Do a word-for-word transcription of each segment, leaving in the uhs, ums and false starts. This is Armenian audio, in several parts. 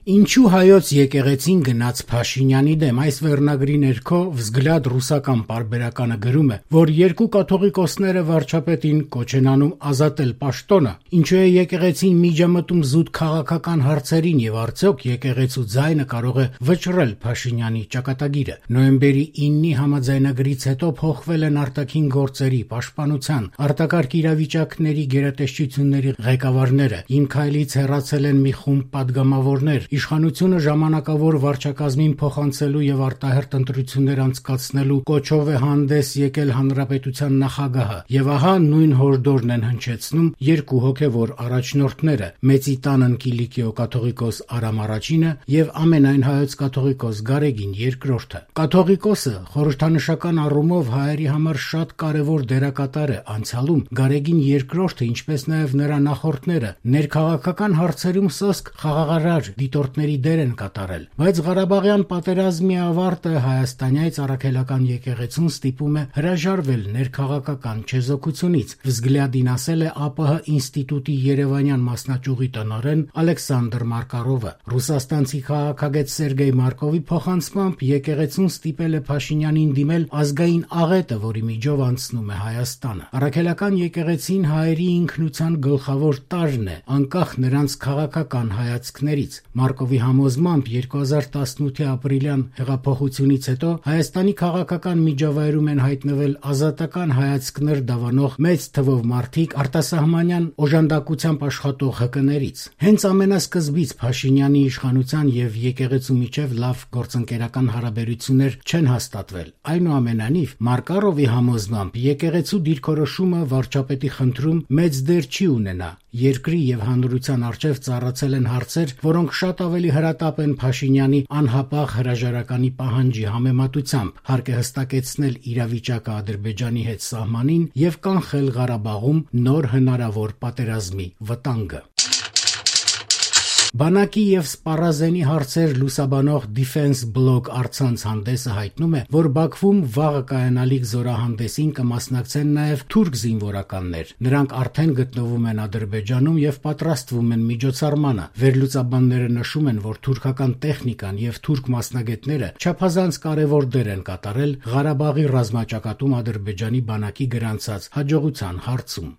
Ինչու հայոց եկեղեցին գնաց Փաշինյանի դեմ? Այս վերնագրի ներքո «Վզգլյադ» ռուսական պարբերականը գրում է, որ երկու կաթողիկոսները վարչապետին կոչ են անում ազատել պաշտոնը, ինչու է եկեղեցին միջամտում զուտ քաղաքական հարցերին եւ արդյոք եկեղեցու ձայնը կարող է վճռել Փաշինյանի ճակատագիրը։ Նոյեմբերի իննի համաձայնագրից հետո փոխվել են արտաքին գործերի, պաշտպանության, արտակարգ իրավիճակների գերատեսչությունների ղեկավարները, Իմ քայլից հեռացել են մի խումբ падգամավորներ, իշխանությունը ժամանակավոր վարչակազմին փոխանցելու եւ արտահերթ ընտրություններ անցկացնելու կոչով է հանդես եկել հանրապետության նախագահը, եւ ահա նույն հորդորն են հնչեցնում երկու հոգեվոր առաջնորդները՝ Մեծիտանն Կիլիկիո կաթողիկոս Արամ Առաջինը եւ ամենայն հայոց կաթողիկոս Գարեգին Երկրորդը։ Կաթողիկոսը խորհրդանշական առումով հայերի համար շատ կարեւոր դերակատար է անցյալում։ Գարեգին Երկրորդը, ինչպես նաեւ նրա նախորդները, ներքաղաքական հարցերում սոսկ խաղաղարար դիտորդների դեր են կատարել, բայց Ղարաբաղյան պատերազմի ավարտը հայաստանյաց առաքելական եկեղեցուն ստիպում է հրաժարվել ներքաղաքական չեզոքությունից։ Վզգլյադին ասել է ԱՊՀ ինստիտուտի երևանյան մասնաճյուղի տնօրեն Ալեքսանդր Մարկարովը։ Ռուսաստանցի քաղաքագետ Սերգեյ Մարկովի փոխանցմամբ եկեղեցուն ստիպել է Փաշինյանին դիմել ազգային աղետը, որի միջով անցնում է Հայաստանը։ Առաքելական եկեղեցին հայերի ինքնության գլխավոր տարրն է, անկախ նրանց քաղաքական հայացքներից։ Մարկովի համոզմամբ երկու հազար տասնութի ապրիլյան հեղափոխությունից հետո Հայաստանի քաղաքական միջավայրում են հայտնվել ազատական հայացքներ դավանող մեծ թվով մարդիկ արտասահմանյան օժանդակությամբ աշխատող ՀԿ-ներից։ Հենց ամենասկզբից Փաշինյանի իշխանության եւ եկեղեցու միջև լավ գործընկերական հարաբերություններ չեն հաստատվել։ Այնուամենայնիվ, Մարկարովի համոզմամբ եկեղեցու դիրքորոշումը վարչապետի խնդրում մեծ դեր չի ունենա։ Երկրի եւ հանրության առջեւ ծառացել են հարցեր, որոնք շատ ավելի հրատապ են Փաշինյանի անհապաղ հրաժարականի պահանջի համեմատությամբ։ Հարկ է հստակեցնել իրավիճակը Ադրբեջանի հետ սահմանին եւ կանխել Ղարաբաղում նոր հնարավոր պատերազմի վտանգը։ Բանակի եւ սպառազենի հարցեր լուսաբանող Defense Blog առցանց հանդեսը հայտնում է, որ Բաքվում վաղը կայանալիք զորահանդեսին կմասնակցեն նաեւ թուրք զինվորականներ։ Նրանք արդեն գտնվում են Ադրբեջանում եւ պատրաստվում են միջոցառմանը։ Վերլուծաբանները նշում են, որ թուրքական տեխնիկան եւ թուրք մասնագետները չափազանց կարեւոր դեր են կատարել Ղարաբաղի ռազմաճակատում Ադրբեջանի բանակի գրանցած հաջողության հարցում։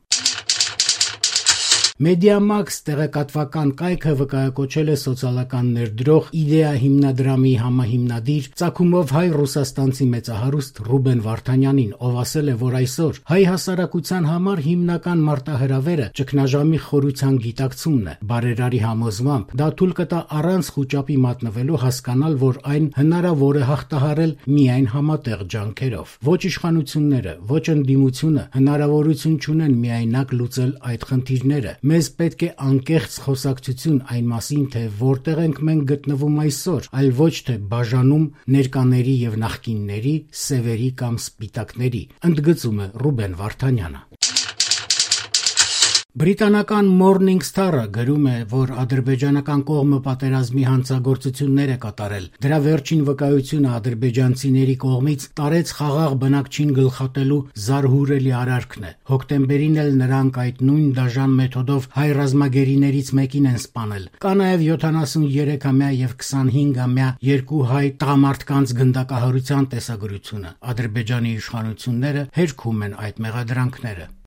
Մեդիամաքս տեղեկատվական կայքը վկայակոչել է սոցիալական ներդրող Իդեա հիմնադրամի համահիմնադիր ծագումով հայ-ռուսաստանցի մեծահարուստ Ռուբեն Վարդանյանին, ով ասել է, որ այսօր հայ հասարակության համար հիմնական մարտահրավերը ճգնաժամի խորության գիտակցումն է։ Բարերարի համոզմամբ դա թույլ կտա առանց խուճապի մատնվելու հասկանալ, որ այն հնարավոր է հաղթահարել միայն համատեղ ջանքերով։ Ոչ իշխանությունները, ոչ ընդդիմությունը հնարավորություն չունեն միայնակ լուծել այդ խնդիրները։ Մեզ պետք է անկեղծ խոսակցություն այն մասին, թե որտեղ ենք մենք գտնվում այսօր, այլ ոչ թե բաժանում ներկաների եւ նախկինների, սևերի կամ սպիտակների, ընդգծում է Ռուբեն Վարդանյանը։ Բրիտանական Morning Star-ը գրում է, որ ադրբեջանական կողմը պատերազմի հանցագործություններ է կատարել։ Դրա վերջին վկայությունը ադրբեջանցիների կողմից տարեց խաղաղ բնակչին գլխատելու զարհուրելի արարքն է։ Հոկտեմբերին էլ նրանք այդ նույն դաժան մեթոդով հայ ռազմագերիներից մեկին են սպանել։ Կա նաև յոթանասուններեքամյա եւ քսանհինգամյա երկու հայ տղամարդկանց գնդակահարության տեսագրությունը։ Ադրբեջանի իշխանությունները հերքում են այդ մեղադրանքները։